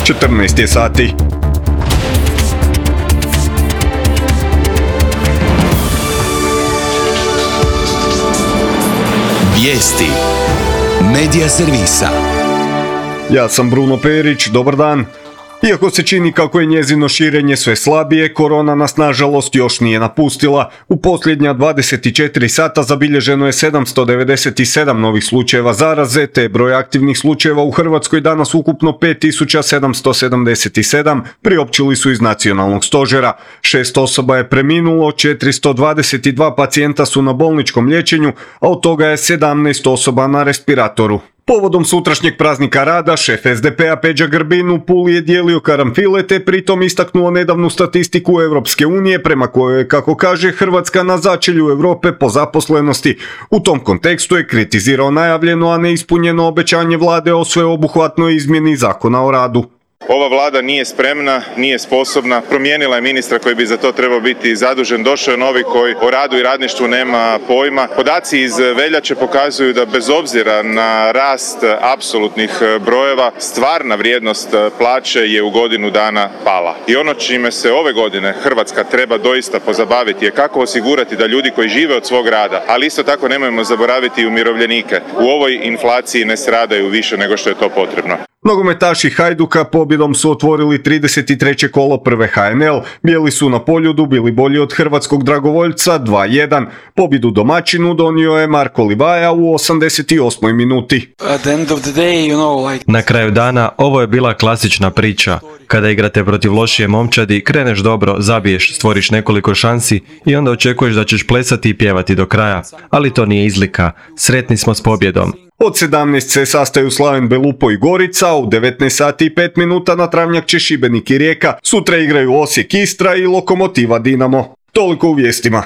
14 je sati. Vijesti Medija servisa. Ja sam Bruno Perić, dobar dan. Iako se čini kako je njezino širenje sve slabije, korona nas nažalost još nije napustila. U posljednja 24 sata zabilježeno je 797 novih slučajeva zaraze, te broj aktivnih slučajeva u Hrvatskoj danas ukupno 5777, priopćili su iz nacionalnog stožera. 6 osoba je preminulo, 422 pacijenta su na bolničkom liječenju, a od toga je 17 osoba na respiratoru. Povodom sutrašnjeg praznika rada, šef SDP-a Peđa Grbin u Puli je dijelio karanfile te pritom istaknuo nedavnu statistiku Europske unije prema kojoj je, kako kaže, Hrvatska na začelju Europe po zaposlenosti. U tom kontekstu je kritizirao najavljeno, a neispunjeno obećanje vlade o sveobuhvatnoj izmjeni Zakona o radu. Ova vlada nije spremna, nije sposobna, promijenila je ministra koji bi za to trebao biti zadužen, došao je novi koji o radu i radništvu nema pojma. Podaci iz veljače pokazuju da bez obzira na rast apsolutnih brojeva, stvarna vrijednost plaće je u godinu dana pala. I ono čime se ove godine Hrvatska treba doista pozabaviti je kako osigurati da ljudi koji žive od svog rada, ali isto tako nemojmo zaboraviti i umirovljenike, u ovoj inflaciji ne stradaju više nego što je to potrebno. Nogometaši Hajduka pobjedom su otvorili 33. kolo prve HNL. Bijeli su na Poljudu bili bolji od hrvatskog dragovoljca 2-1. Pobjedu domaćinu donio je Marko Livaja u 88. minuti. Na kraju dana ovo je bila klasična priča. Kada igrate protiv lošije momčadi, kreneš dobro, zabiješ, stvoriš nekoliko šansi i onda očekuješ da ćeš plesati i pjevati do kraja. Ali to nije izlika. Sretni smo s pobjedom. Od 17 se sastaju Slaven Belupo i Gorica, a u 19 sati i 5 minuta na travnjak će Šibenik i Rijeka. Sutra igraju Osijek Istra i Lokomotiva Dinamo. Toliko u vijestima.